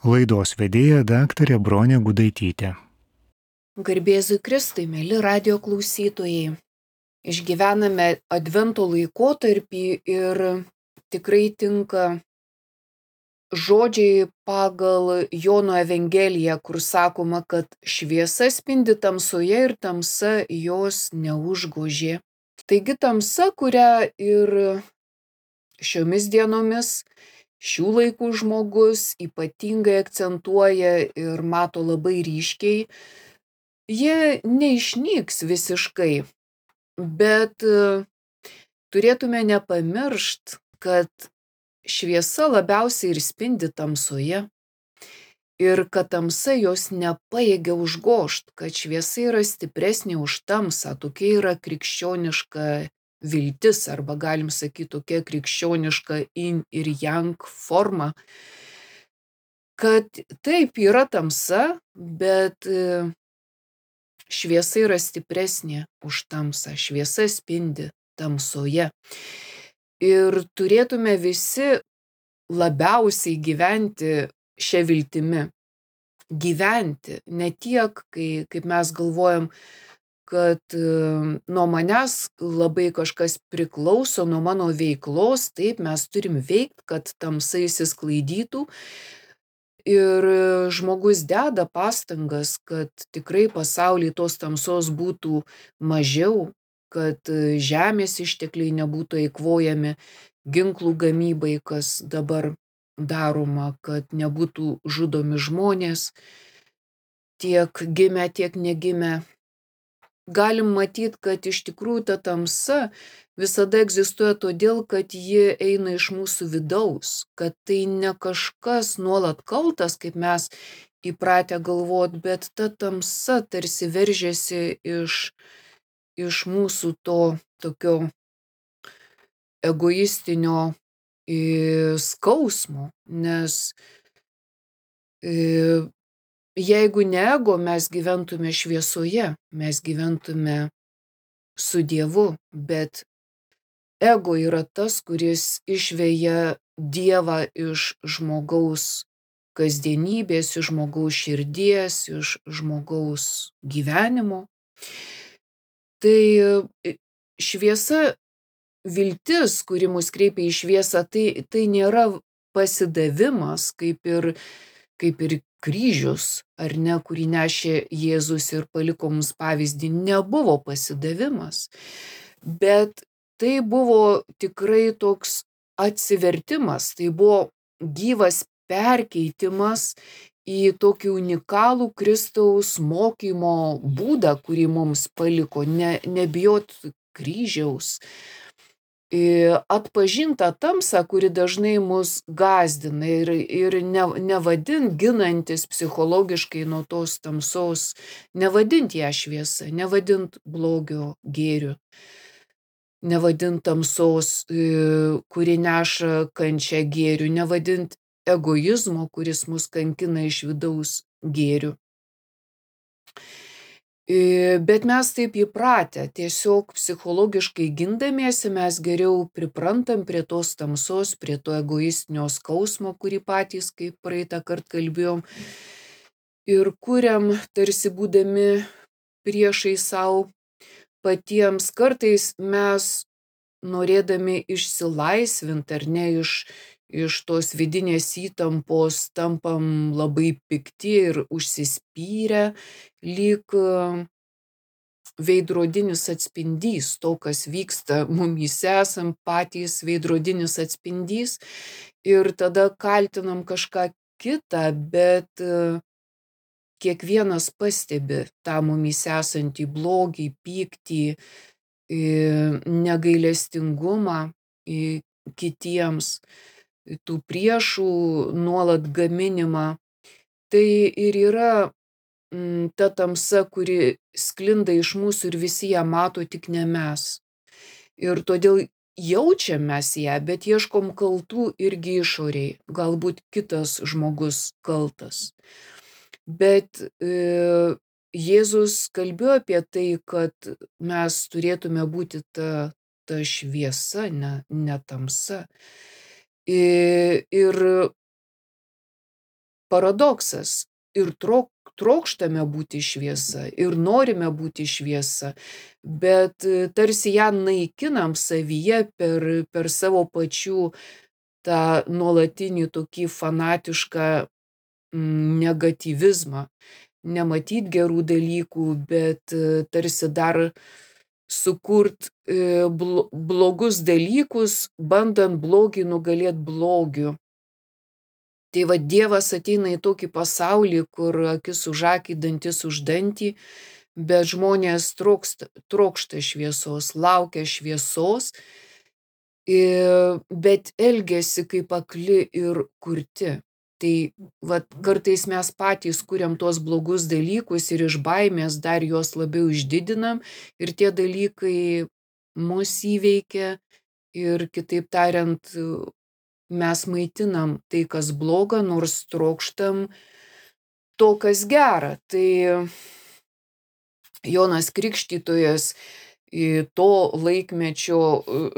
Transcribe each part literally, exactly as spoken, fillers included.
Laidos vedėja daktarė Bronė Gudaitytė. Garbėzui Kristui, mėly radio klausytojai. Išgyvename Advento laikotarpį ir tikrai tinka žodžiai pagal Jono Evangeliją, kur sakoma, kad šviesa spindi tamsoje ir tamsa jos neužgožė. Taigi tamsa, kurią ir šiomis dienomis šių laikų žmogus ypatingai akcentuoja ir mato labai ryškiai, jie neišnyks visiškai, bet turėtume nepamiršt, kad šviesa labiausiai ir spindi tamsoje ir kad tamsa jos nepajėgia užgožt, kad šviesa yra stipresnė už tamsą, tokia yra krikščioniška viltis, arba galim sakyti tokia krikščioniška yin ir yang forma, kad taip yra tamsa, bet šviesa yra stipresnė už tamsą, šviesa spindi tamsoje. Ir turėtume visi labiausiai gyventi šią viltimi. Gyventi, ne tiek, kai, kaip mes galvojam, kad nuo manęs labai kažkas priklauso, nuo mano veiklos, taip mes turim veikti, kad tamsa išsisklaidytų. Ir žmogus deda pastangas, kad tikrai pasaulyje tos tamsos būtų mažiau, kad žemės ištekliai nebūtų eikvojami ginklų gamybai, kas dabar daroma, kad nebūtų žudomi žmonės, tiek gimę, tiek negimę. Galim matyti, kad iš tikrųjų ta tamsa visada egzistuoja todėl, kad ji eina iš mūsų vidaus, kad tai ne kažkas nuolat kaltas, kaip mes įpratę galvot, bet ta tamsa tarsi veržiasi iš, iš mūsų to tokio egoistinio skausmo, nes jeigu ne ego, mes gyventume šviesoje, mes gyventume su Dievu, bet ego yra tas, kuris išveja Dievą iš žmogaus kasdienybės, iš žmogaus širdies, iš žmogaus gyvenimo. Tai šviesa, viltis, kuri mus kreipia į šviesą, tai, tai nėra pasidavimas, kaip ir, kaip ir kryžius, ar ne, kurį nešė Jėzus ir paliko mums pavyzdį, nebuvo pasidavimas, bet tai buvo tikrai toks atsivertimas, tai buvo gyvas perkeitimas į tokį unikalų Kristaus mokymo būdą, kurį mums paliko, ne, nebijot kryžiaus, atpažinta tamsa, kuri dažnai mus gąsdina ir, ir ne, nevadint ginantis psichologiškai nuo tos tamsos, nevadint ją šviesa, nevadint blogio gėriu, nevadint tamsos, kuri neša kančią gėriu, nevadint egoizmo, kuris mus kankina iš vidaus gėriu. Bet mes taip įpratę, tiesiog psichologiškai gindamiesi mes geriau priprantam prie tos tamsos, prie to egoistinio skausmo, kurį patys, kaip praeitą kartą kalbėjom, ir kuriam tarsi būdami priešai savo patiems. Kartais mes norėdami išsilaisvinti ar ne iš iš tos vidinės įtampos tampam labai pikti ir užsispyrę, lyg veidrodinis atspindys to, kas vyksta mumyse, esam patys veidrodinis atspindys ir tada kaltinam kažką kitą, bet kiekvienas pastebi tą mumyse esantį blogį, pyktį, negailestingumą kitiems, tų priešų nuolat gaminimą. Tai ir yra ta tamsa, kuri sklinda iš mūsų ir visi ją mato, tik ne mes. Ir todėl jaučiam mes ją, bet ieškom kaltų irgi išoriai. Galbūt kitas žmogus kaltas. Bet e, Jėzus kalbėjo apie tai, kad mes turėtume būti ta, ta šviesa, ne, ne tamsa. Ir paradoksas. Ir trok, trokštame būti šviesa, ir norime būti šviesa, bet tarsi ją naikinam savyje per, per savo pačių tą nuolatinį tokį fanatišką negatyvizmą. Nematyt gerų dalykų, bet tarsi dar sukurt blogus dalykus, bandant blogį nugalėti blogiu. Tai va Dievas ateina į tokį pasaulį, kur akis už akį, dantis už dantį, bet žmonės trokšta, trokšta šviesos, laukia šviesos, bet elgiasi kaip akli ir kurti. Tai va, kartais mes patys kuriam tuos blogus dalykus ir iš baimės dar juos labiau išdidinam ir tie dalykai mus įveikia ir kitaip tariant, mes maitinam tai, kas bloga, nors trokštam to, kas gera. Tai Jonas Krikštytojas, to laikmečio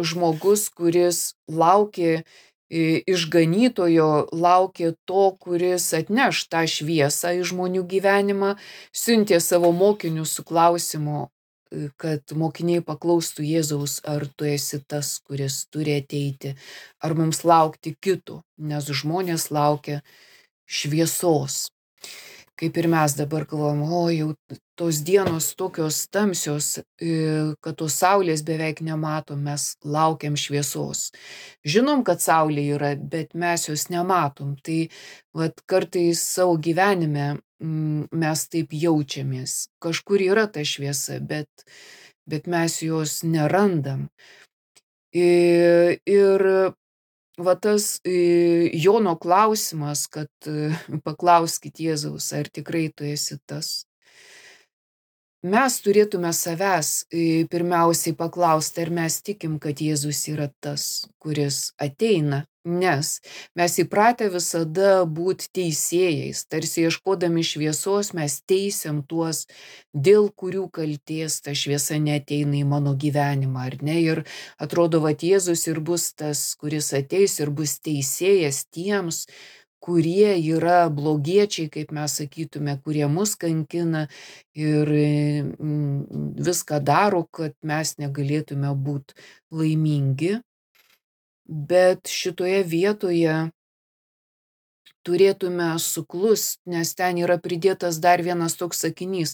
žmogus, kuris laukė išganytojo, laukė to, kuris atneš tą šviesą į žmonių gyvenimą, siuntė savo mokinius su klausimu, kad mokiniai paklaustų Jėzaus, ar tu esi tas, kuris turi ateiti, ar mums laukti kito, nes žmonės laukia šviesos. Kaip ir mes dabar galvojam, o jau tos dienos tokios tamsios, kad tos saulės beveik nematom, mes laukiam šviesos. Žinom, kad saulė yra, bet mes jos nematom. Tai vat, kartais savo gyvenime mes taip jaučiamės. Kažkur yra ta šviesa, bet, bet mes jos nerandam. Ir, ir va tas Jono klausimas, kad paklauskit Jėzaus, ar tikrai tu esi tas. Mes turėtume savęs pirmiausiai paklausti, ar mes tikim, kad Jėzus yra tas, kuris ateina, nes mes įpratę visada būti teisėjais, tarsi ieškodami šviesos mes teisiam tuos, dėl kurių kaltės ta šviesa neateina į mano gyvenimą, ar ne? Ir atrodo, kad Jėzus ir bus tas, kuris ateis ir bus teisėjas tiems, kurie yra blogiečiai, kaip mes sakytume, kurie mus kankina ir viską daro, kad mes negalėtume būti laimingi. Bet šitoje vietoje turėtume suklust, nes ten yra pridėtas dar vienas toks sakinys.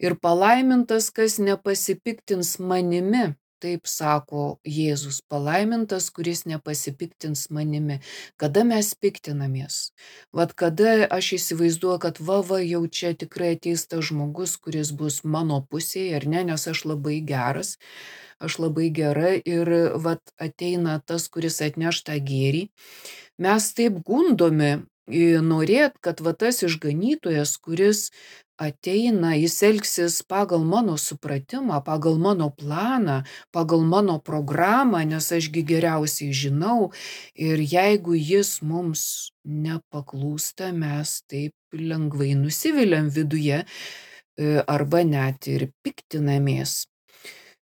Ir palaimintas, kas nepasipiktins manimi. Taip sako Jėzus, palaimintas, kuris nepasipiktins manimi. Kada mes piktinamės? Vat kada aš įsivaizduoju, kad va, va, jau čia tikrai ateis tas žmogus, kuris bus mano pusėje, ar ne, nes aš labai geras, aš labai gera ir vat ateina tas, kuris atneš tą gėrį. Mes taip gundomi norėt, kad va tas išganytojas, kuris ateina, jis elgsis pagal mano supratimą, pagal mano planą, pagal mano programą, nes ašgi geriausiai žinau. Ir jeigu jis mums nepaklūsta, mes taip lengvai nusiviliam viduje arba net ir piktinamės.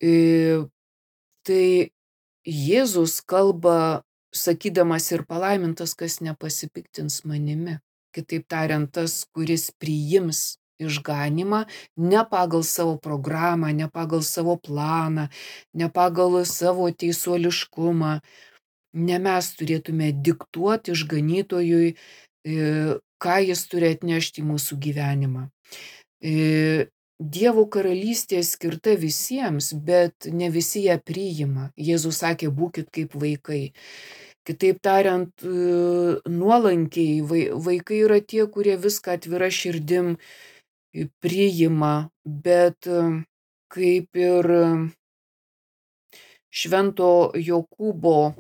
Tai Jėzus kalba, sakydamas ir palaimintas, kas nepasipiktins manimi. Kitaip tariant, tas, kuris priims išganymą ne pagal savo programą, ne pagal savo planą, ne pagal savo teisuoliškumą. Ne mes turėtume diktuoti išganytojui, ką jis turi atnešti į mūsų gyvenimą. Dievo karalystė skirta visiems, bet ne visi ją priima. Jėzus sakė, būkit kaip vaikai. Kitaip tariant, nuolankiai vaikai yra tie, kurie viską atvira širdim priima, bet kaip ir Švento Jokūbo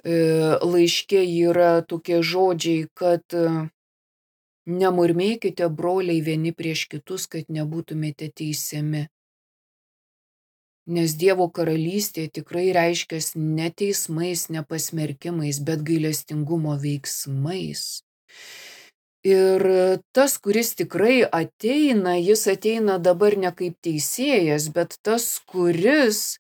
laiške yra tokie žodžiai, kad nemurmėkite, broliai, vieni prieš kitus, kad nebūtumėte teisiami. Nes Dievo karalystė tikrai reiškias ne teismais, ne pasmerkimais, bet gailestingumo veiksmais. Ir tas, kuris tikrai ateina, jis ateina dabar ne kaip teisėjas, bet tas, kuris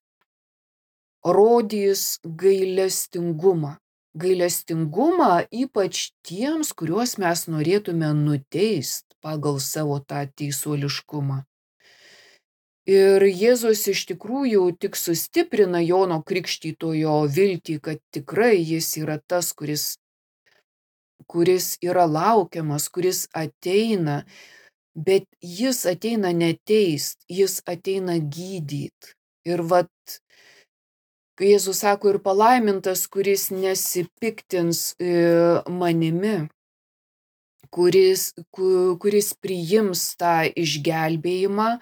rodys gailestingumą. gailestingumą ypač tiems, kuriuos mes norėtume nuteist pagal savo tą teisuoliškumą. Ir Jėzus iš tikrųjų tik sustiprina Jono Krikštytojo viltį, kad tikrai jis yra tas, kuris, kuris yra laukiamas, kuris ateina, bet jis ateina neteist, jis ateina gydyt. Ir vat, kai Jėzus sako, ir palaimintas, kuris nesipiktins e, manimi, kuris, ku, kuris priims tą išgelbėjimą,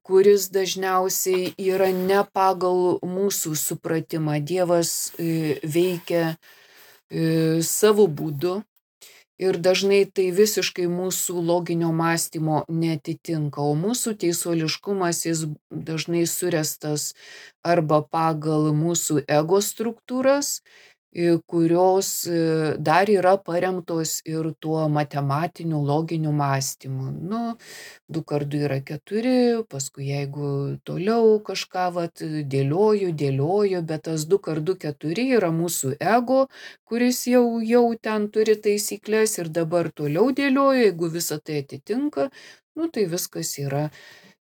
kuris dažniausiai yra ne pagal mūsų supratimą. Dievas e, veikia e, savo būdu ir dažnai tai visiškai mūsų loginio mąstymo neatitinka, o mūsų teisuoliškumas jis dažnai surestas arba pagal mūsų ego struktūras, kurios dar yra paremtos ir tuo matematiniu loginiu mąstymu. Nu, du kart du yra keturi, paskui jeigu toliau kažką vat, dėlioju, dėlioju, bet tas du kart du keturi yra mūsų ego, kuris jau, jau ten turi taisyklės ir dabar toliau dėlioju, jeigu visą tai atitinka, nu tai viskas yra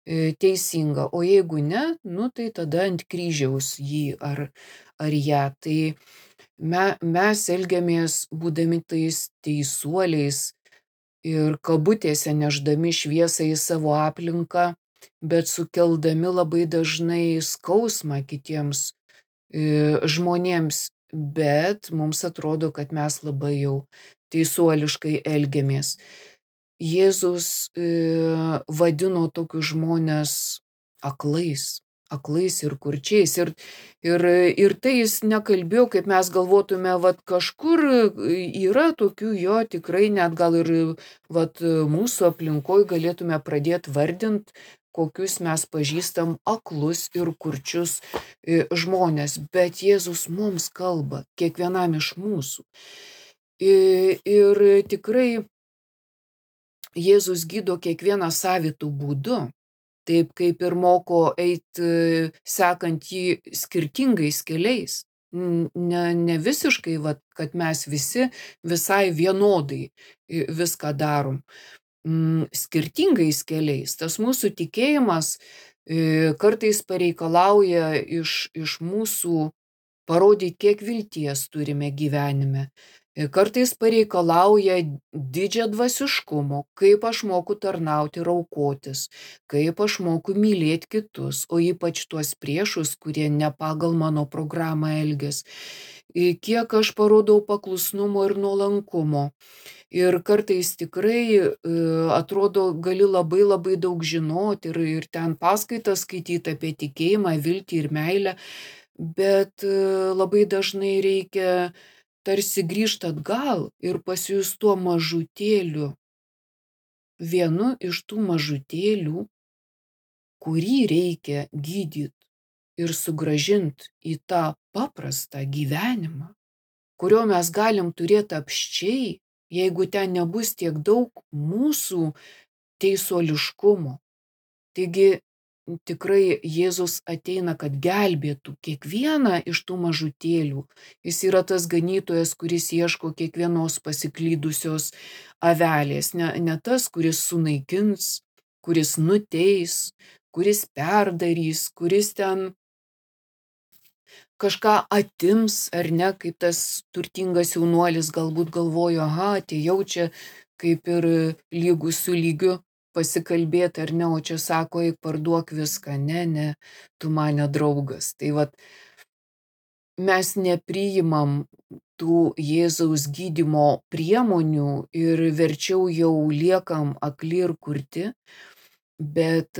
teisinga, o jeigu ne, nu tai tada ant kryžiaus jį ar, ar ją. Tai me, mes elgiamės būdami tais teisuoliais ir kabutėse neždami šviesą į savo aplinką, bet sukeldami labai dažnai skausmą kitiems e, žmonėms, bet mums atrodo, kad mes labai jau teisuoliškai elgiamės. Jėzus e, vadino tokius žmones aklais, aklais ir kurčiais. Ir, ir, ir tai jis nekalbėjo, kaip mes galvotume, vat kažkur yra tokių, jo tikrai net gal ir vat mūsų aplinkoje galėtume pradėti vardinti, kokius mes pažįstam aklus ir kurčius žmonės. Bet Jėzus mums kalba, kiekvienam iš mūsų. Ir, ir tikrai Jėzus gydo kiekvieną savitų būdu, taip kaip ir moko eiti sekant jį skirtingais keliais. Ne, ne visiškai, vat, kad mes visi visai vienodai viską darom. Skirtingais keliais. Tas mūsų tikėjimas kartais pareikalauja iš, iš mūsų parodyti, kiek vilties turime gyvenime. Kartais pareikalauja didžią dvasiškumo, kaip aš moku tarnauti ir aukotis, kaip aš moku mylėti kitus, o ypač tuos priešus, kurie ne pagal mano programą elgės, kiek aš parodau paklusnumo ir nuolankumo. Ir kartais tikrai atrodo, gali labai labai daug žinoti ir, ir ten paskaitas skaityti apie tikėjimą, viltį ir meilę, bet labai dažnai reikia tarsi grįžti atgal ir pasijus tuo mažutėliu. Vienu iš tų mažutėlių, kurį reikia gydyti ir sugrąžinti į tą paprastą gyvenimą, kurio mes galim turėti apsčiai, jeigu ten nebus tiek daug mūsų teisuoliškumo. Taigi tikrai Jėzus ateina, kad gelbėtų kiekvieną iš tų mažutėlių. Jis yra tas ganytojas, kuris ieško kiekvienos pasiklydusios avelės. Ne, ne tas, kuris sunaikins, kuris nuteis, kuris perdarys, kuris ten kažką atims, ar ne, kaip tas turtingas jaunuolis galbūt galvojo, aha, atėjau čia kaip ir lygus su lygiu pasikalbėti, ar ne, o čia sako, eik parduok viską, ne, ne, tu mane draugas. Tai vat, mes nepriimam tų Jėzaus gydymo priemonių ir verčiau jau liekam akli ir kurti, bet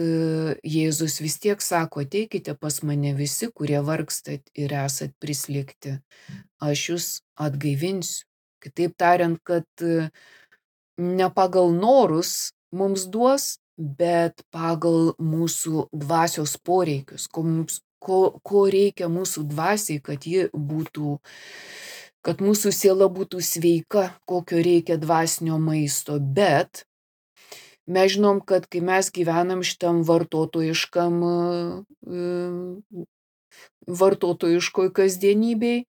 Jėzus vis tiek sako, ateikite pas mane visi, kurie vargstat ir esat prislėgti, aš jūs atgaivinsiu. Kitaip tariant, kad ne pagal norus mums duos, bet pagal mūsų dvasios poreikius, ko, mums, ko, ko reikia mūsų dvasiai, kad ji būtų, kad mūsų siela būtų sveika, kokio reikia dvasinio maisto. Bet mes žinom, kad kai mes gyvenam šitam vartotojiškam, vartotojiškoj kasdienybėj,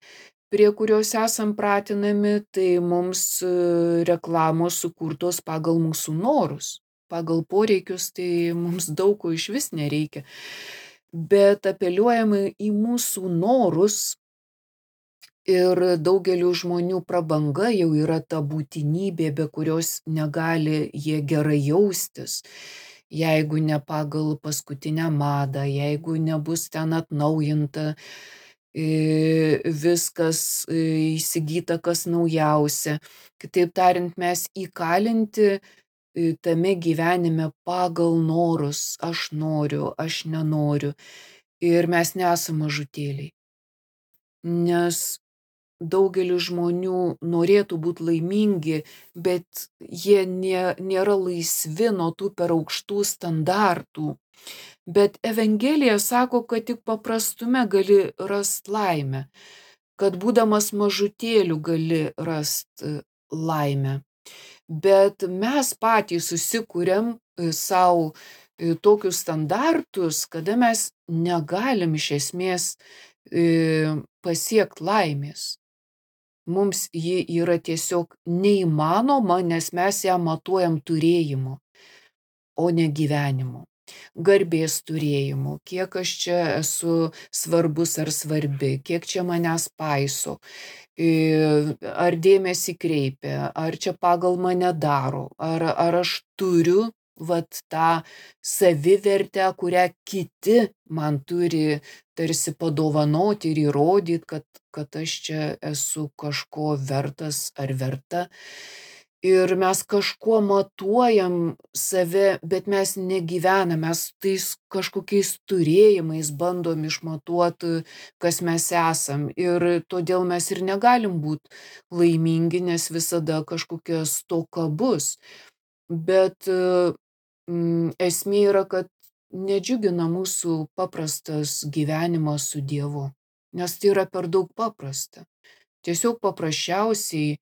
prie kurios esam pratinami, tai mums reklamos sukurtos pagal mūsų norus, pagal poreikius, tai mums daug ko iš vis nereikia. Bet apeliuojama į mūsų norus ir daugeliu žmonių prabanga jau yra ta būtinybė, be kurios negali jie gerai jaustis. Jeigu ne pagal paskutinę madą, jeigu nebus ten atnaujinta viskas įsigyta, kas naujausia. Kitaip tariant, mes įkalinti tame gyvenime pagal norus, aš noriu, aš nenoriu. Ir mes nesame mažutėliai. Nes daugelis žmonių norėtų būti laimingi, bet jie nė, nėra laisvi nuo tų per aukštų standartų. Bet Evangelija sako, kad tik paprastume gali rasti laimę, kad būdamas mažutėliu gali rasti laimę. Bet mes patys susikūrėm savo tokius standartus, kada mes negalim iš esmės pasiekti laimės. Mums ji yra tiesiog neįmanoma, nes mes ją matuojam turėjimu, o ne gyvenimu. Garbės turėjimu, kiek aš čia esu svarbus ar svarbi, kiek čia manęs paiso, ar dėmesį kreipia, ar čia pagal mane daro, ar, ar aš turiu vat tą savivertę, kurią kiti man turi tarsi padovanoti ir įrodyti, kad, kad aš čia esu kažko vertas ar verta. Ir mes kažkuo matuojam save, bet mes negyvename, mes tais kažkokiais turėjimais bandom išmatuoti, kas mes esam. Ir todėl mes ir negalim būti laimingi, nes visada kažkokia stoka bus. Bet mm, esmė yra, kad nedžiugina mūsų paprastas gyvenimas su Dievu, nes tai yra per daug paprasta. Tiesiog paprasčiausiai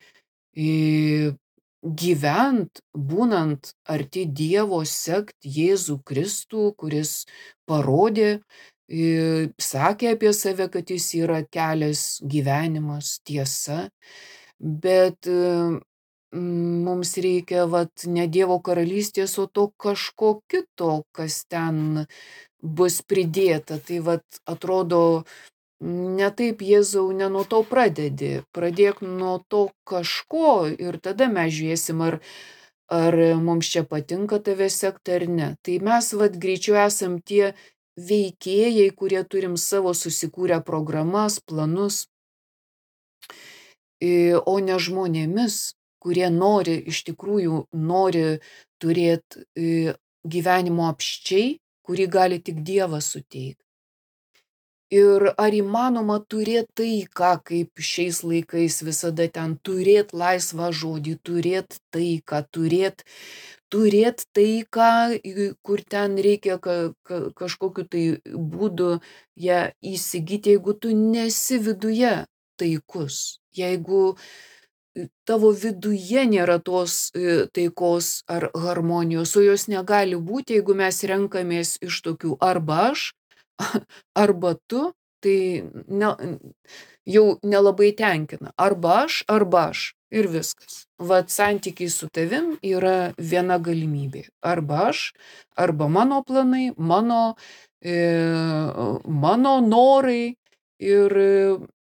gyvent, būnant arti Dievo, sekt Jėzų Kristų, kuris parodė, sakė apie save, kad jis yra kelias, gyvenimas, tiesa, bet mums reikia vat ne Dievo karalystės, o to kažko kito, kas ten bus pridėta. Tai vat atrodo, ne taip, Jėzau, ne nuo to pradedi, pradėk nuo to kažko ir tada mes žiūrėsim, ar, ar mums čia patinka tave sekti ar ne. Tai mes vat greičiau esam tie veikėjai, kurie turim savo susikūrę programas, planus, o ne žmonėmis, kurie nori, iš tikrųjų nori turėti gyvenimo apsčiai, kurį gali tik Dievas suteikti. Ir ar įmanoma turėti taiką, kaip šiais laikais visada ten, turėti laisvą žodį, turėti taiką, turėti turėt taiką, kur ten reikia ka, ka, kažkokiu tai būdu ją įsigyti, jeigu tu nesi viduje taikus, jeigu tavo viduje nėra tos taikos ar harmonijos, o jos negali būti, jeigu mes renkamės iš tokių arba aš, arba tu, tai ne, jau nelabai tenkina. Arba aš, arba aš. Ir viskas. Vat santykiai su tavim yra viena galimybė. Arba aš, arba mano planai, mano, e, mano norai ir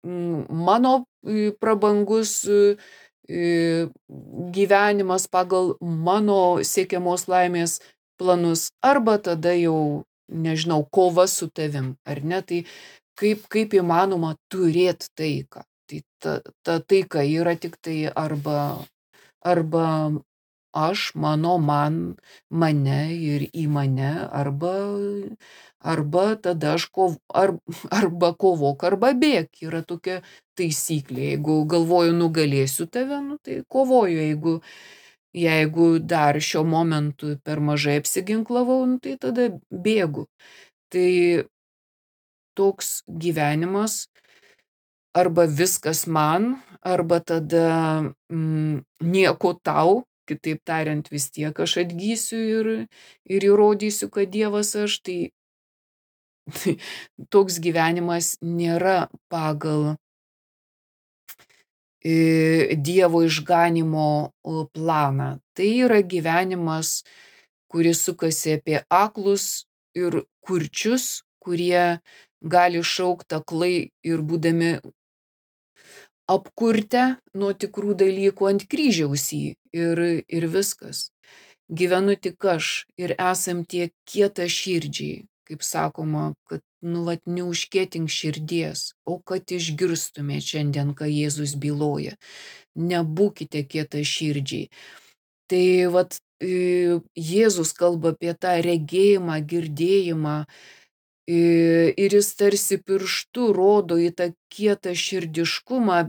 mano prabangus e, gyvenimas pagal mano siekiamos laimės planus. Arba tada jau nežinau, kova su tavim, ar ne, tai kaip, kaip įmanoma turėti taiką. Tai ta, ta taika yra tik tai arba, arba aš, mano, man, mane ir į mane, arba, arba tada aš kov, ar, arba kovok, arba bėk. Yra tokia taisyklė. Jeigu galvoju nugalėsiu tave, nu, tai kovoju. Jeigu Jeigu dar šiuo momentu per mažai apsiginklavau, nu, tai tada bėgu. Tai toks gyvenimas arba viskas man, arba tada mm, nieko tau, kitaip tariant, vis tiek aš atgysiu ir, ir įrodysiu, kad Dievas aš, tai, tai toks gyvenimas nėra pagal Dievo išganimo planą. Tai yra gyvenimas, kuris sukasi apie aklus ir kurčius, kurie gali šaukti aklai ir būdami apkurtę nuo tikrų dalykų ant kryžiaus jį ir, ir viskas. Gyvenu tik aš ir esam tie kietaširdžiai, kaip sakoma, kad nu vat neužkietink širdies, o kad išgirstumėt šiandien, ką Jėzus byloja. Nebūkite kietaširdžiai. Tai vat Jėzus kalba apie tą regėjimą, girdėjimą ir jis tarsi pirštu rodo į tą kietą širdiškumą,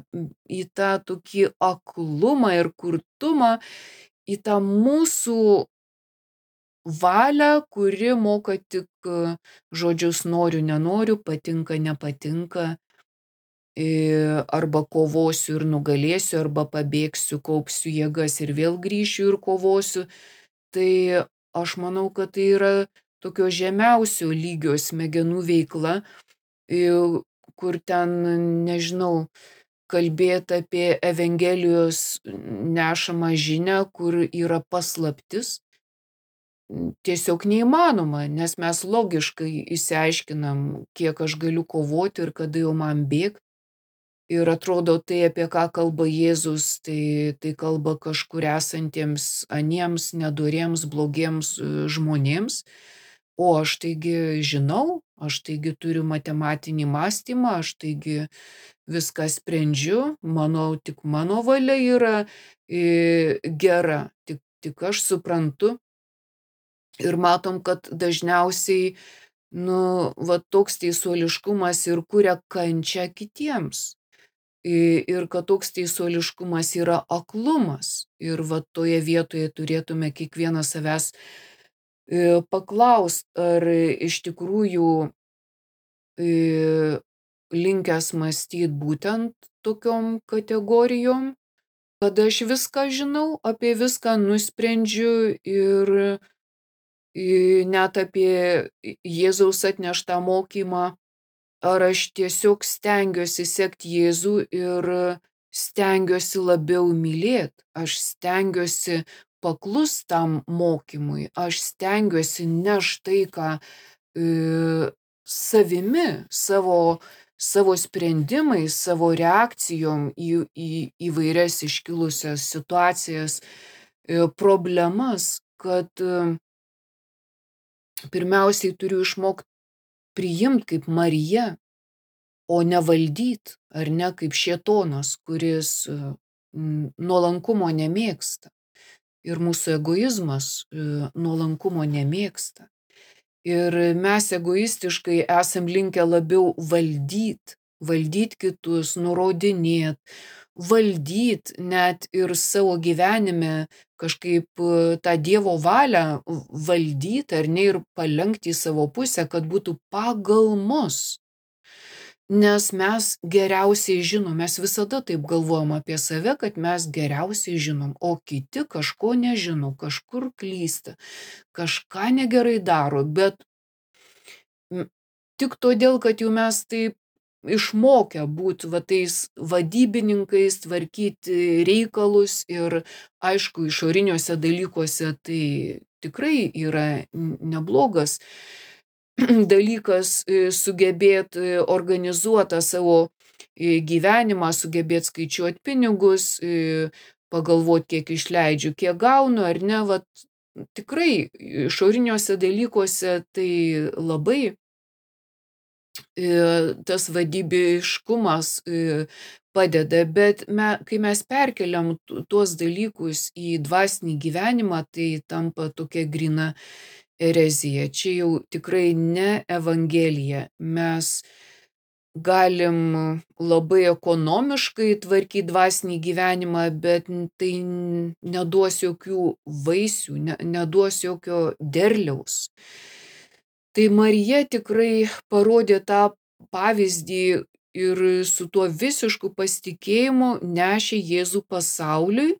į tą tokį aklumą ir kurtumą, į tą mūsų valią, kuri moka tik žodžius noriu, nenoriu, patinka, nepatinka, arba kovosiu ir nugalėsiu, arba pabėgsiu, kaupsiu jėgas ir vėl grįšiu ir kovosiu. Tai aš manau, kad tai yra tokio žemiausio lygio smegenų veikla, kur ten, nežinau, kalbėti apie Evangelijos nešamą žinią, kur yra paslaptis, tiesiog neįmanoma, nes mes logiškai išsiaiškinam, kiek aš galiu kovoti ir kada jau man bėgti. Ir atrodo, tai apie ką kalba Jėzus, tai, tai kalba kažkur esantiems aniems, nedoriems, blogiems žmonėms. O aš taigi žinau, aš taigi turiu matematinį mąstymą, aš taigi viską sprendžiu, manau, tik mano valia yra gera, tik, tik aš suprantu. Ir matom, kad dažniausiai, nu, va toks teisuoliškumas ir kuria kančią kitiems. Ir kad toks teisuoliškumas yra aklumas. Ir va toje vietoje turėtume kiekvieną savęs paklaust, ar iš tikrųjų linkęs mąstyti būtent tokiom kategorijom, kad aš viską žinau, apie viską nusprendžiu ir net apie Jėzaus atneštą mokymą, ar aš tiesiog stengiuosi sekti Jėzų ir stengiuosi labiau mylėti, aš stengiuosi paklus tam mokymui, aš stengiuosi nešti tai, ką e, savimi, savo, savo sprendimais, savo reakcijom į, į įvairias iškilusias situacijas, e, problemas, kad e, pirmiausiai turiu išmokti priimti kaip Marija, o ne valdyt, ar ne kaip šėtonas, kuris nuolankumo nemėgsta. Ir mūsų egoizmas nuolankumo nemėgsta. Ir mes egoistiškai esam linkę labiau valdyt, valdyt kitus, nurodinėt, valdyt net ir savo gyvenime kažkaip tą Dievo valią valdyti, ar ne, ir palenkti į savo pusę, kad būtų pagal mus. Nes mes geriausiai žinom, mes visada taip galvojam apie save, kad mes geriausiai žinom, o kiti kažko nežino, kažkur klysta, kažką negerai daro, bet tik todėl, kad jau mes taip išmokę būti va tais vadybininkais, tvarkyti reikalus ir aišku, išoriniuose dalykuose tai tikrai yra neblogas dalykas sugebėti organizuotą savo gyvenimą, sugebėti skaičiuoti pinigus, pagalvoti, kiek išleidžiu, kiek gaunu, ar ne, vat, tikrai išoriniuose dalykuose tai labai tas vadybiškumas padeda, bet me, kai mes perkeliam tuos dalykus į dvasinį gyvenimą, tai tampa tokia grina erezija. Čia jau tikrai ne Evangelija. Mes galim labai ekonomiškai tvarkyti dvasinį gyvenimą, bet tai neduos jokių vaisių, ne, neduos jokio derliaus. Tai Marija tikrai parodė tą pavyzdį ir su tuo visišku pasitikėjimu nešė Jėzų pasauliui,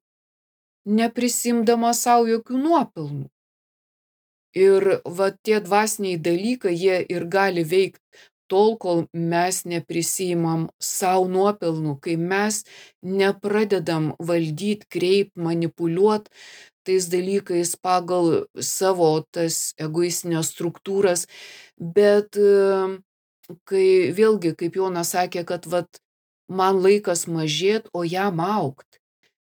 neprisimdama savo jokių nuopelnų. Ir va tie dvasiniai dalykai, jie ir gali veikti tol, kol mes neprisiimam savo nuopelnų, kai mes nepradedam valdyti, kreip, manipuliuot tais dalykais pagal savo tas egoistinės struktūras, bet kai vėlgi, kaip Jonas sakė, kad vat, man laikas mažėt, o jam augt.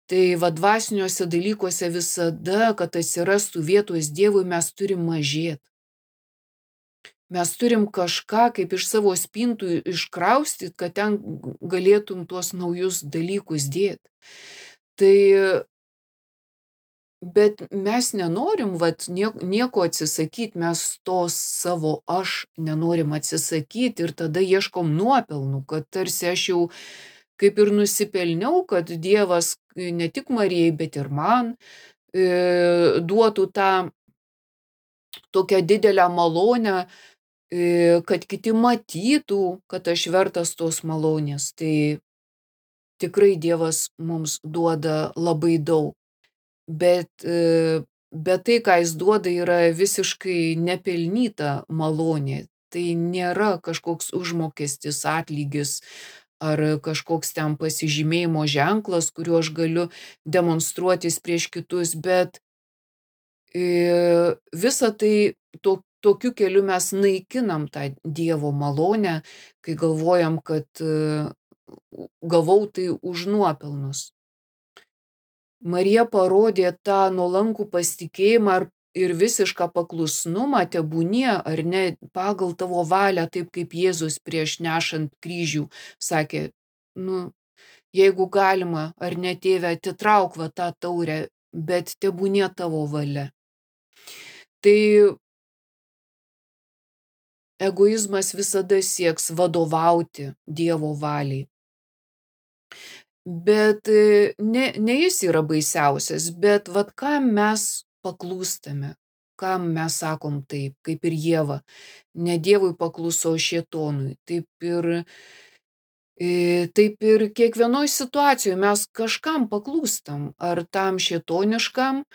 Tai va dvasiniuose dalykuose visada, kad atsirastų vietos Dievui, mes turim mažėt. Mes turim kažką kaip iš savo spintų iškraustyti, kad ten galėtum tuos naujus dalykus dėti. Tai, bet mes nenorim vat, nieko atsisakyti, mes to savo aš nenorim atsisakyti ir tada ieškom nuopelnų, kad tarsi aš jau kaip ir nusipelniau, kad Dievas ne tik Marijai, bet ir man e, duotų tą tokią didelę malonę, e, kad kiti matytų, kad aš vertas tos malonės. Tai tikrai Dievas mums duoda labai daug. Bet, e, bet tai, ką jis duoda, yra visiškai nepelnyta malonė. Tai nėra kažkoks užmokestis, atlygis, ar kažkoks ten pasižymėjimo ženklas, kuriuo aš galiu demonstruotis prieš kitus, bet e, visą tai to, tokiu keliu mes naikinam tą Dievo malonę, kai galvojam, kad e, gavau tai už nuopelnus. Marija parodė tą nuolankų pasitikėjimą ir visišką paklusnumą, tebūnie ar ne pagal tavo valią, taip kaip Jėzus prieš nešant kryžių sakė, nu, jeigu galima, ar ne tėve, atitrauk va tą taurę, bet tebūnie tavo valia. Tai egoizmas visada sieks vadovauti Dievo valiai. Bet ne, ne jis yra baisiausias, bet vat kam mes paklūstame, kam mes sakom taip, kaip ir Ieva, ne Dievui pakluso, o šėtonui. Taip ir, taip ir kiekvienoj situacijoje mes kažkam paklūstam, ar tam šėtoniškam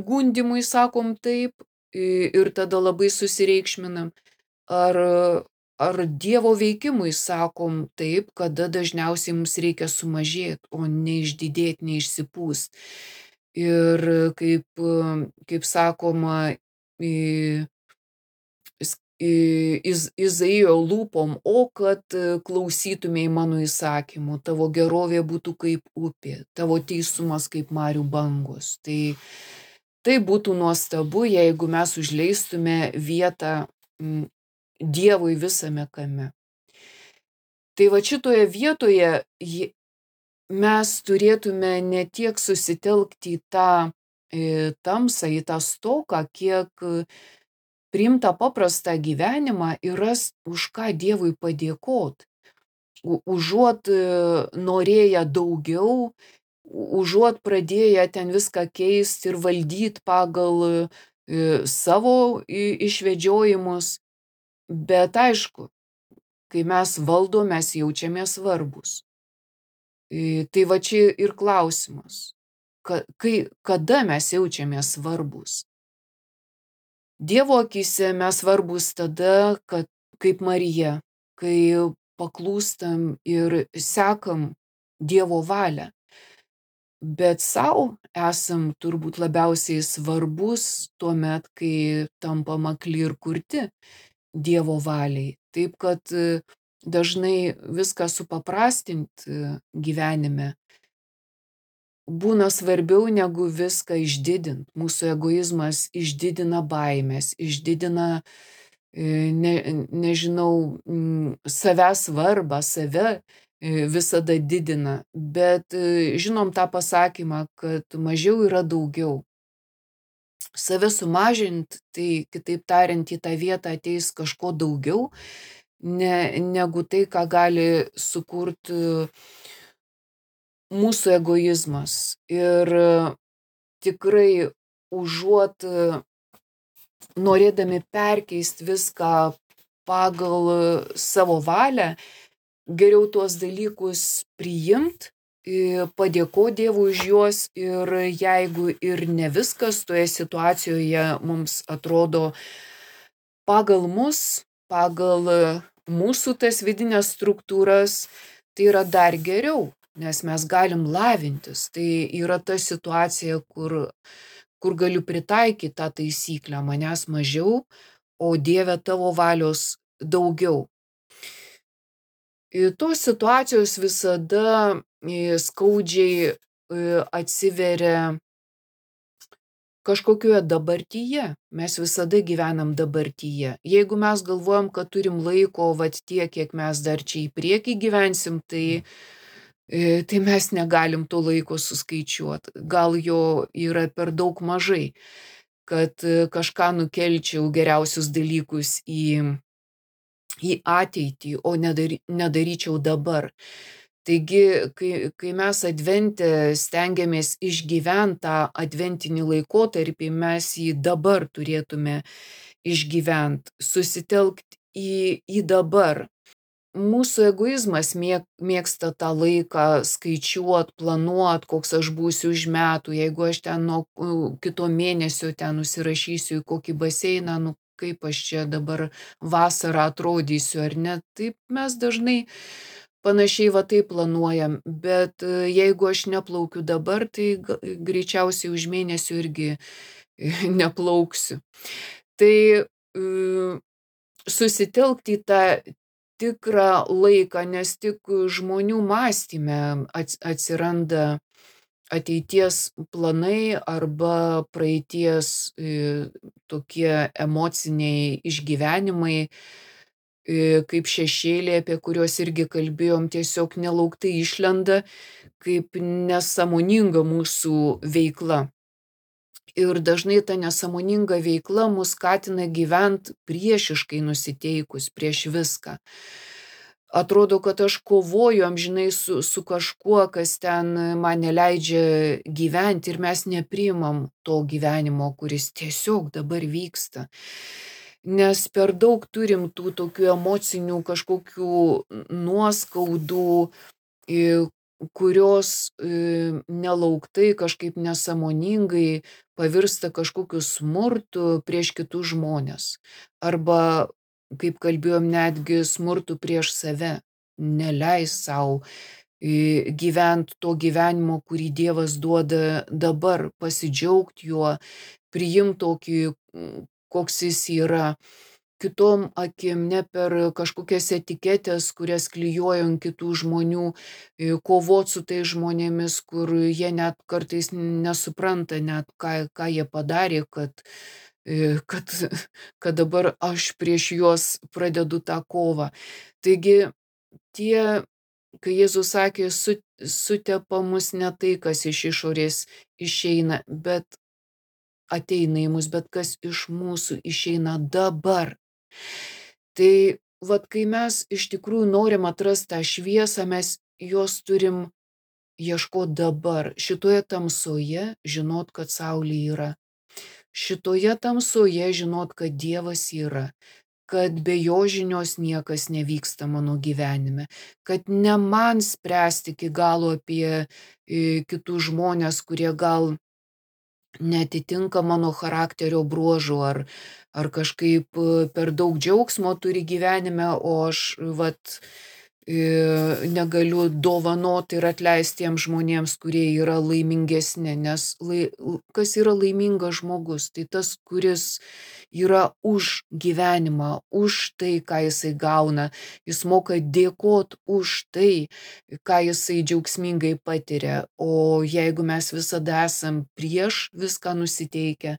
gundimui sakom taip ir tada labai susireikšminam, ar Ar Dievo veikimui sakom taip, kada dažniausiai mums reikia sumažėti, o neišdidėti, neišsipūst. Ir kaip, kaip sakoma, iz, Izaijo lūpom, o kad klausytumėj mano įsakymų, tavo gerovė būtų kaip upė, tavo teisumas kaip marių bangos. Tai, tai būtų nuostabu, jeigu mes užleistume vietą Dievui visame kame. Tai va šitoje vietoje mes turėtume ne tiek susitelkti į tą į tamsą, į tą stoką, kiek priimtą paprastą gyvenimą ir rast, už ką Dievui padėkot. Užuot norėję daugiau, užuot pradėję ten viską keisti ir valdyti pagal savo išvedžiojimus. Bet aišku, kai mes valdom, mes jaučiamės svarbus. Tai va čia ir klausimas, kai, kada mes jaučiamės svarbus. Dievo akyse mes svarbus tada, kad kaip Marija, kai paklūstam ir sekam Dievo valią. Bet savo esam turbūt labiausiai svarbus tuomet, kai tampam akli ir kurti Dievo valiai. Taip, kad dažnai viską supaprastinti gyvenime būna svarbiau negu viską išdidint. Mūsų egoizmas išdidina baimės, išdidina, ne, nežinau, savęs svarbą, save visada didina. Bet žinom tą pasakymą, kad mažiau yra daugiau. Save sumažint, tai kitaip tariant, į tą vietą ateis kažko daugiau, ne, negu tai, ką gali sukurti mūsų egoizmas. Ir tikrai užuot norėdami perkeisti viską pagal savo valią, geriau tuos dalykus priimt, padėkoti Dievui už juos ir jeigu ir ne viskas toje situacijoje mums atrodo pagal mus, pagal mūsų tas vidinės struktūras tai yra dar geriau, nes mes galim lavintis. Tai yra ta situacija, kur, kur galiu pritaikyti tą taisyklę, manęs mažiau, o Dieve tavo valios daugiau. Ir tos situacijos visada skaudžiai atsiveria kažkokioje dabartyje. Mes visada gyvenam dabartyje. Jeigu mes galvojam, kad turim laiko vat tiek, kiek mes dar čia į priekį gyvensim, tai, tai mes negalim to laiko suskaičiuoti. Gal jo yra per daug mažai, kad kažką nukelčiau geriausius dalykus į, į ateitį, o nedary, nedaryčiau dabar. Taigi, kai, kai mes advente stengiamės išgyventi tą adventinį laikotarpį, mes jį dabar turėtume išgyventi, susitelkti į, į dabar. Mūsų egoizmas mėg, mėgsta tą laiką skaičiuot, planuot, koks aš būsiu už metų, jeigu aš ten nuo kito mėnesio ten nusirašysiu į kokį baseiną, nu kaip aš čia dabar vasarą atrodysiu, ar ne? Taip mes dažnai panašiai va taip planuojam, bet jeigu aš neplaukiu dabar, tai greičiausiai už mėnesio irgi neplauksiu. Tai susitelkti į tą tikrą laiką, nes tik žmonių mąstyme atsiranda ateities planai arba praeities tokie emociniai išgyvenimai, kaip šešėliai, apie kuriuos irgi kalbėjom, tiesiog nelauktai išlenda kaip nesąmoninga mūsų veikla. Ir dažnai ta nesąmoninga veikla mus skatina gyventi priešiškai nusiteikus prieš viską. Atrodo, kad aš kovoju amžinai su, su kažkuo, kas ten man neleidžia gyventi ir mes nepriimam to gyvenimo, kuris tiesiog dabar vyksta. Nes per daug turim tų tokių emocinių kažkokių nuoskaudų, kurios nelauktai, kažkaip nesąmoningai pavirsta kažkokiu smurtu prieš kitus žmonės. Arba, kaip kalbėjom, netgi smurtu prieš save. Neleis savo gyventi to gyvenimo, kurį Dievas duoda dabar, pasidžiaugti juo, priimti tokį, koks jis yra, kitom akim, ne per kažkokias etiketės, kurias klijuoja ant kitų žmonių, kovot su tais žmonėmis, kur jie net kartais nesupranta net, ką, ką jie padarė, kad, kad, kad dabar aš prieš juos pradedu tą kovą. Taigi, tie, kai Jėzus sakė, su, sutepa mus ne tai, kas iš išorės išeina, bet ateina į mus, bet kas iš mūsų išeina dabar. Tai vat kai mes iš tikrųjų norim atrasti tą šviesą, mes jos turim ieškoti dabar. Šitoje tamsoje žinot, kad saulė yra. Šitoje tamsoje žinot, kad Dievas yra. Kad be jo žinios niekas nevyksta mano gyvenime. Kad ne man spręsti iki galo apie kitus žmonės, kurie gal netitinka mano charakterio bruožų, ar, ar kažkaip per daug džiaugsmo turi gyvenime, o aš vat, negaliu dovanoti ir atleisti tiems žmonėms, kurie yra laimingesni. Nes lai, kas yra laimingas žmogus? Tai tas, kuris yra už gyvenimą, už tai, ką jisai gauna. Jis moka dėkoti už tai, ką jisai džiaugsmingai patiria. O jeigu mes visada esam prieš viską nusiteikę,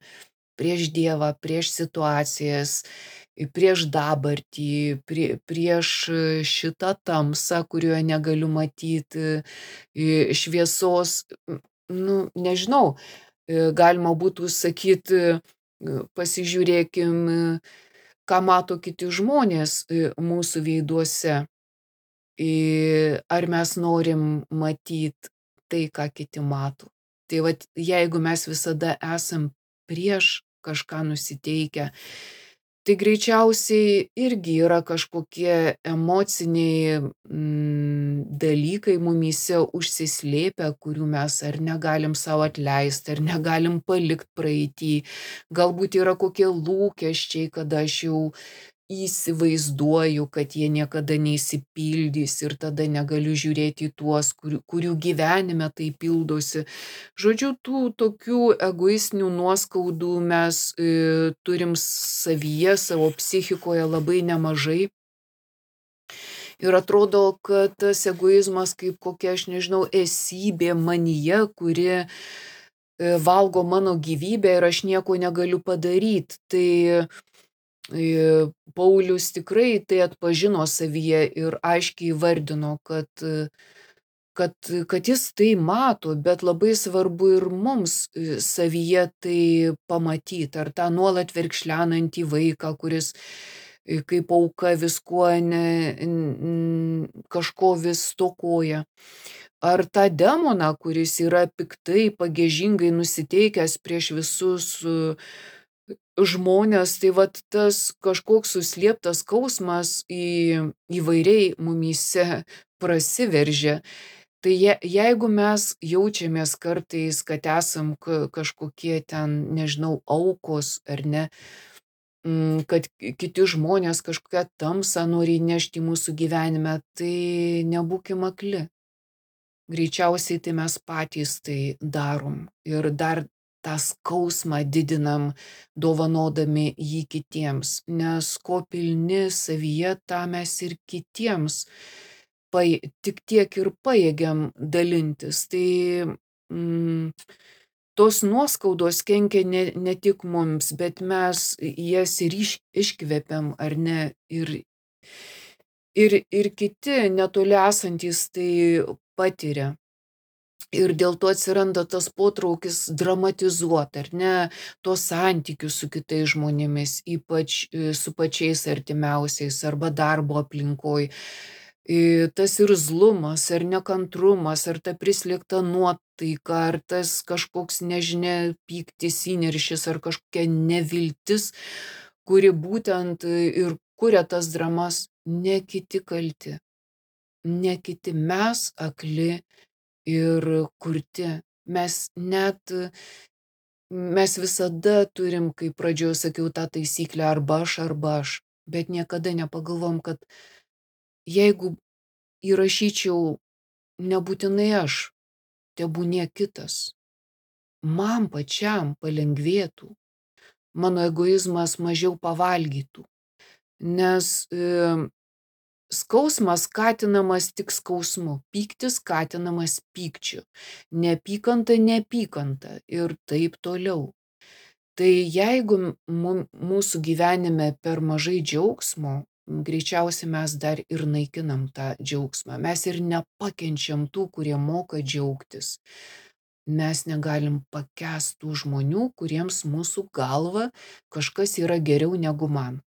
prieš Dievą, prieš situacijas, prieš dabartį, prie, prieš šitą tamsą, kurioje negaliu matyti šviesos, nu, nežinau, galima būtų sakyti, pasižiūrėkim, ką mato kiti žmonės mūsų veiduose. Ar mes norim matyti tai, ką kiti mato. Tai vat, jeigu mes visada esam prieš kažką nusiteikę, tai greičiausiai irgi yra kažkokie emociniai mm, dalykai mumyse užsislėpę, kurių mes ar negalim savo atleisti, ar negalim palikti praeitį. Galbūt yra kokie lūkesčiai, kada aš jau įsivaizduoju, kad jie niekada neįsipildys ir tada negaliu žiūrėti į tuos, kurių, kurių gyvenime tai pildosi. Žodžiu, tų tokių egoistinių nuoskaudų mes e, turim savyje, savo psichikoje labai nemažai. Ir atrodo, kad tas egoizmas kaip kokia, aš nežinau, esybė manyje, kuri e, valgo mano gyvybę ir aš nieko negaliu padaryti. Tai e, Paulius tikrai tai atpažino savyje ir aiškiai įvardino, kad, e, kad, kad jis tai mato, bet labai svarbu ir mums e, savyje tai pamatyti, ar tą nuolat verkšlenantį vaiką, kuris e, kaip auka viskuo ne, n- kažko vis stokoja. Ar tą demoną, kuris yra piktai, pagiežingai nusiteikęs prieš visus e, žmonės, tai vat tas kažkoks suslėptas skausmas į, įvairiai mumyse prasiveržia. Tai je, jeigu mes jaučiamės kartais, kad esam ka- kažkokie ten, nežinau, aukos ar ne, mm, kad kiti žmonės kažkokią tamsą nori įnešti į mūsų gyvenime, tai nebūkim akli. Greičiausiai tai mes patys tai darom ir dar tą skausmą didinam, dovanodami jį kitiems, nes ko pilni savyje, tą mes ir kitiems paj, tik tiek ir pajėgiam dalintis. Tai mm, tos nuoskaudos kenkia ne, ne tik mums, bet mes jas ir iš, iškvepiam, ar ne, ir Ir, ir kiti netoli esantys tai patiria. Ir dėl to atsiranda tas potraukis dramatizuoti, ar ne, tos santykius su kitais žmonėmis, ypač e, su pačiais artimiausiais arba darbo aplinkoj. E, Tas irzlumas, ar nekantrumas, ar ta prislėgta nuotaika, ar tas kažkoks, nežinia, pyktis, įniršis, ar kažkokia neviltis, kuri būtent e, ir kuria tas dramas. Ne kiti kalti, ne kiti, mes akli ir kurti. Mes net, mes visada turim, kaip pradžioje sakiau, tą taisyklę arba aš, arba aš, bet niekada nepagalvom, kad jeigu įrašyčiau nebūtinai aš, tebūnie kitas, man pačiam palengvėtų, mano egoizmas mažiau pavalgytų, nes e, skausmas skatinamas tik skausmu, pyktis skatinamas pykčiu, neapykanta neapykanta ir taip toliau. Tai jeigu mum, mūsų gyvenime per mažai džiaugsmo, greičiausiai mes dar ir naikinam tą džiaugsmą. Mes ir nepakenčiam tų, kurie moka džiaugtis. Mes negalim pakęsti tų žmonių, kuriems mūsų galva kažkas yra geriau negu man.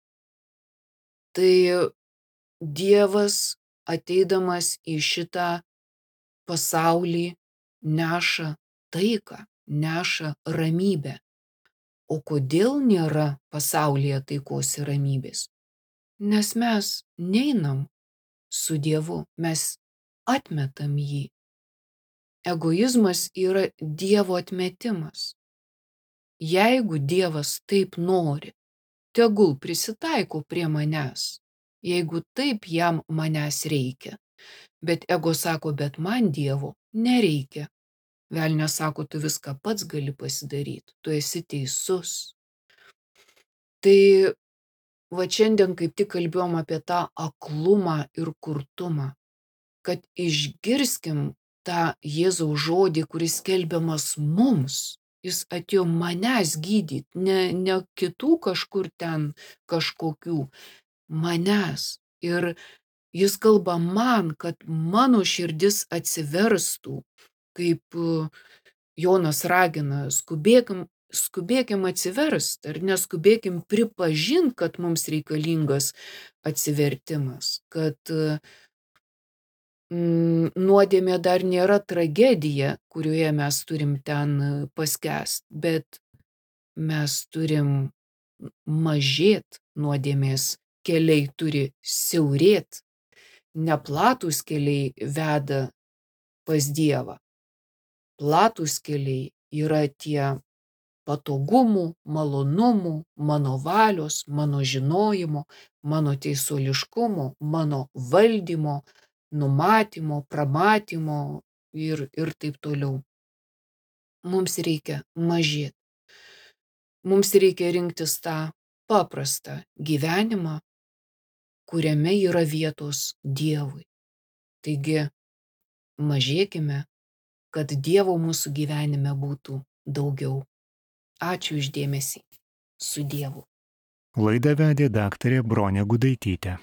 Tai Dievas ateidamas į šitą pasaulį neša taiką, neša ramybę. O kodėl nėra pasaulyje taikos ir ramybės? Nes mes neinam su Dievu, mes atmetam jį. Egoizmas yra Dievo atmetimas. Jeigu Dievas taip nori, tegul prisitaiko prie manęs. Jeigu taip jam manęs reikia. Bet ego sako, bet man Dievo nereikia. Velnias sako, tu viską pats gali pasidaryti, tu esi teisus. Tai va šiandien kaip tik kalbėjom apie tą aklumą ir kurtumą, kad išgirskim tą Jėzaus žodį, kuris skelbiamas mums. Jis atėjo manęs gydyti, ne, ne kitų kažkur ten kažkokių, manęs. Ir jis kalba man, kad mano širdis atsiverstų, kaip Jonas ragina, skubėkim, skubėkim atsiverst, ar neskubėkim pripažinti, kad mums reikalingas atsivertimas, kad mm, nuodėmė dar nėra tragedija, kurioje mes turim ten paskęst, bet mes turim mažėt nuodėmės. Keliai turi siaurėt, neplatus keliai veda pas Dievą. Platus keliai yra tie patogumų, malonumų, mano valios, mano žinojimo, mano teisuoliškumo, mano valdymo, numatymo, pramatymo ir, ir taip toliau. Mums reikia mažėti. Mums reikia rinktis tą paprastą gyvenimą, kuriame yra vietos Dievui. Taigi, mažėkime, kad Dievo mūsų gyvenime būtų daugiau. Ačiū už dėmesį. Su Dievu. Laidą vedė daktarė Bronė Gudaitytė.